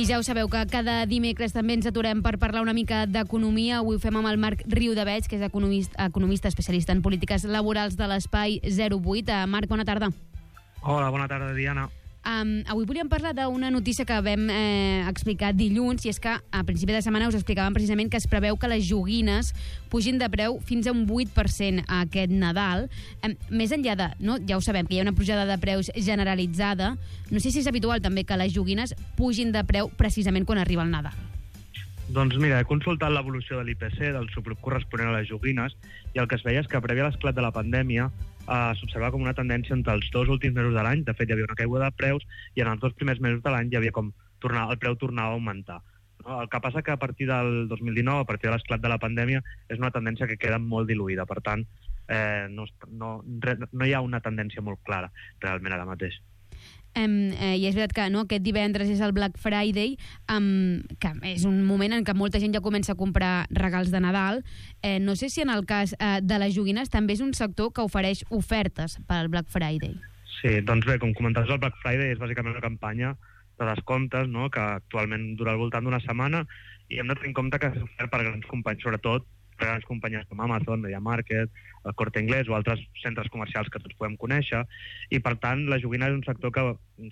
I ja ho sabeu que cada dimecres també ens aturem per parlar una mica d'economia. Avui ho fem amb el Marc Riudebeig, que és economista especialista en polítiques laborals de l'Espai 08. Marc, bona tarda. Hola, bona tarda, Diana. Avui volíem parlar d'una notícia que vam explicar dilluns, i és que a principi de setmana us explicàvem precisament que es preveu que les joguines pugin de preu fins a un 8% aquest Nadal. Més enllà de, no, ja ho sabem, que hi ha una pujada de preus generalitzada, no sé si és habitual també que les joguines pugin de preu precisament quan arriba el Nadal. Doncs mira, he consultat l'evolució de l'IPC, del subgrup corresponent a les joguines, i el que es veia és que prèvia a l'esclat de la pandèmia s'observava com una tendència entre els dos últims mesos de l'any. De fet, hi havia una caiguda de preus i en els dos primers mesos de l'any hi havia com el preu tornava a augmentar. No? El que passa que a partir del 2019, a partir de l'esclat de la pandèmia, és una tendència que queda molt diluïda. Per tant, no hi ha una tendència molt clara realment ara mateix. I és veritat que aquest divendres és el Black Friday, que és un moment en què molta gent ja comença a comprar regals de Nadal. No sé si en el cas de les joguines també és un sector que ofereix ofertes per al Black Friday. Sí, doncs bé, com comentaves, el Black Friday és bàsicament una campanya de descomptes, no?, que actualment dura al voltant d'una setmana, i hem de tenir en compte que és ofert per grans companyies, sobretot per grans companyies com Amazon, MediaMarkt, el Corte Inglés o altres centres comercials que tots podem conèixer, i per tant la joguina és un sector que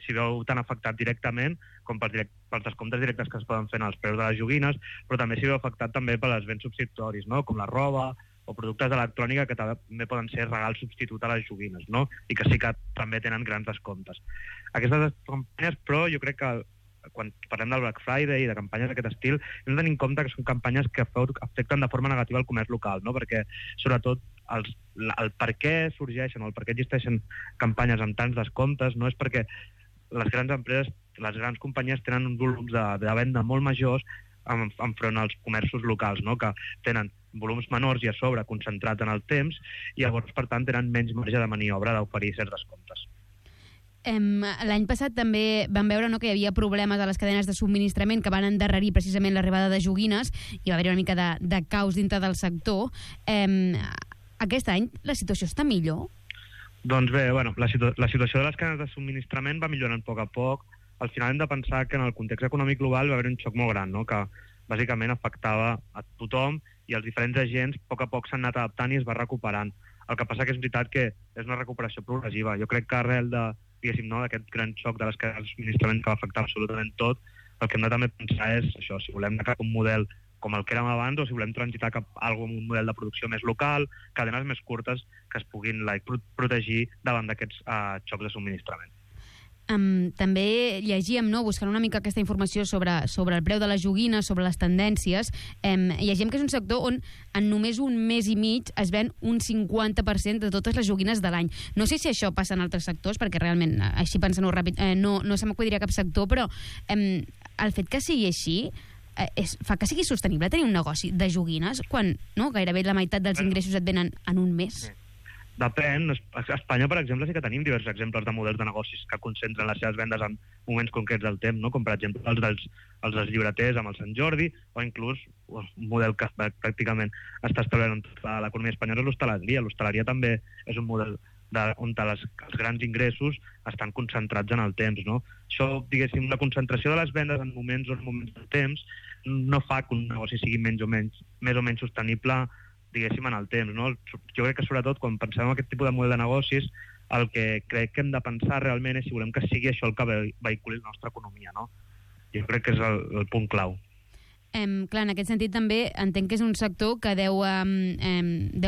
s'hi veu tan afectat directament com pels descomptes directes que es poden fer en els preus de les joguines, però també s'hi veu afectat també per les béns substitutoris, no?, com la roba o productes d'electrònica, que també poden ser regals substitut a les joguines, no?, i que sí que també tenen grans descomptes. Aquestes campanyes, però, jo crec que quan parlem del Black Friday i de campanyes d'aquest estil, hem de tenir en compte que són campanyes que afecten de forma negativa el comerç local, no?, perquè sobretot el per què sorgeixen o el per què existeixen campanyes amb tants descomptes no és perquè les grans empreses, les grans companyies tenen uns volums de venda molt majors enfront als comerços locals, no?, que tenen volums menors i a sobre concentrats en el temps, i llavors, per tant, tenen menys marge de maniobra d'oferir certs descomptes. L'any passat també vam veure que hi havia problemes a les cadenes de subministrament que van endarrerir precisament l'arribada de joguines, i va haver una mica de caos dintre del sector. Aquest any la situació està millor? Doncs bé, la situació de les cadenes de subministrament va millorant a poc. Al final hem de pensar que en el context econòmic global va haver un xoc molt gran, no?, que bàsicament afectava a tothom, i els diferents agents a poc s'han anat adaptant i es va recuperant. El que passa que és veritat que és una recuperació progressiva. Jo crec que arrel d'aquest gran xoc de les cadenes de subministrament que va afectar absolutament tot, el que hem de també pensar és això, si volem anar cap a un model com el que érem abans o si volem transitar cap a un model de producció més local, cadenes més curtes que es puguin protegir davant d'aquests xocs de subministrament. També llegíem, buscant una mica aquesta informació sobre el preu de les joguines, sobre les tendències, llegíem que és un sector on en només un mes i mig es ven un 50% de totes les joguines de l'any. No sé si això passa en altres sectors, perquè realment, així pensant-ho ràpid, no se m'acudiria cap sector, però el fet que sigui així fa que sigui sostenible tenir un negoci de joguines quan gairebé la meitat dels ingressos et venen en un mes. Depèn. A Espanya, per exemple, sí que tenim diversos exemples de models de negocis que concentren les seves vendes en moments concrets del temps, no?, com per exemple els dels llibreters amb el Sant Jordi, o inclús un model que pràcticament està establert en tota l'economia espanyola, és l'hostaleria. L'hostaleria també és un model on els grans ingressos estan concentrats en el temps, no? Això, diguéssim, la concentració de les vendes en moments del temps no fa que un negoci sigui més o menys sostenible, diguéssim, en el temps, no? Jo crec que sobretot quan pensem en aquest tipus de model de negocis, el que crec que hem de pensar realment és si volem que sigui això el que vehiculi la nostra economia, no? Jo crec que és el punt clau. Clar, en aquest sentit també entenc que és un sector que deu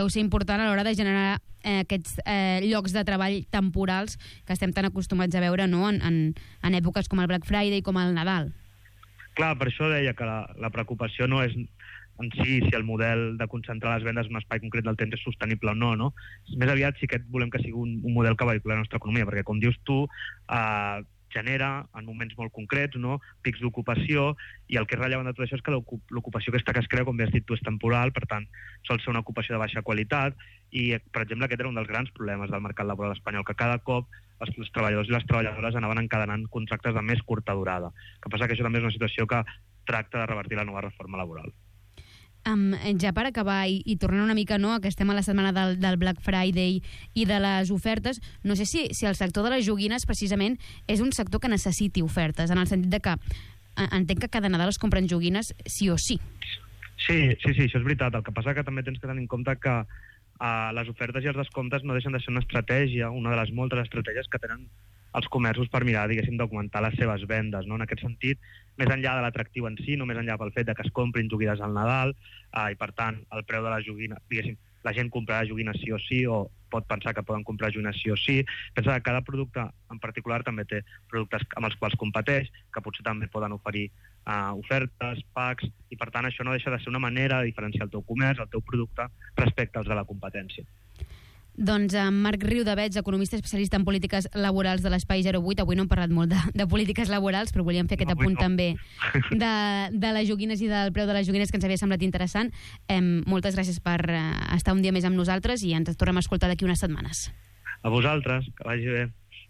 ser important a l'hora de generar aquests llocs de treball temporals que estem tan acostumats a veure, no?, en èpoques com el Black Friday i com el Nadal. Clar, per això deia que la preocupació no és en si el model de concentrar les vendes en un espai concret del temps és sostenible o no, no? Més aviat sí que volem que sigui un model que vehiculi la nostra economia, perquè, com dius tu, genera en moments molt concrets, no?, pics d'ocupació, i el que és rellevant de tot això és que l'ocupació aquesta que es crea, com bé has dit tu, és temporal, per tant, sol ser una ocupació de baixa qualitat, i, per exemple, aquest era un dels grans problemes del mercat laboral espanyol, que cada cop els treballadors i les treballadores anaven encadenant contractes de més curta durada. El que passa que això també és una situació que tracta de revertir la nova reforma laboral. Ja per acabar i tornant una mica, que estem a la setmana del Black Friday i de les ofertes, no sé si el sector de les joguines precisament és un sector que necessiti ofertes, en el sentit de que entenc que cada Nadal es compren joguines sí o sí. Sí, això és veritat. El que passa que també tens que tenir en compte que les ofertes i els descomptes no deixen de ser una estratègia, una de les moltes estratègies que tenen els comerços per mirar, diguéssim, d'augmentar les seves vendes, no? En aquest sentit, més enllà de l'atractiu en si, no més enllà pel fet de que es comprin joguines al Nadal, i per tant, el preu de la joguina, diguéssim, la gent comprarà joguines sí o sí, o pot pensar que poden comprar joguines sí o sí. Pensa que cada producte en particular també té productes amb els quals competeix, que potser també poden oferir ofertes, packs, i per tant això no deixa de ser una manera de diferenciar el teu comerç, el teu producte, respecte als de la competència. Doncs Marc Riudebeig, economista especialista en polítiques laborals de l'Espai 08. Avui no hem parlat molt de polítiques laborals, però volíem fer aquest apunt també de les joguines i del preu de les joguines, que ens havia semblat interessant. Moltes gràcies per estar un dia més amb nosaltres i ens tornem a escoltar d'aquí unes setmanes. A vosaltres, que vagi bé.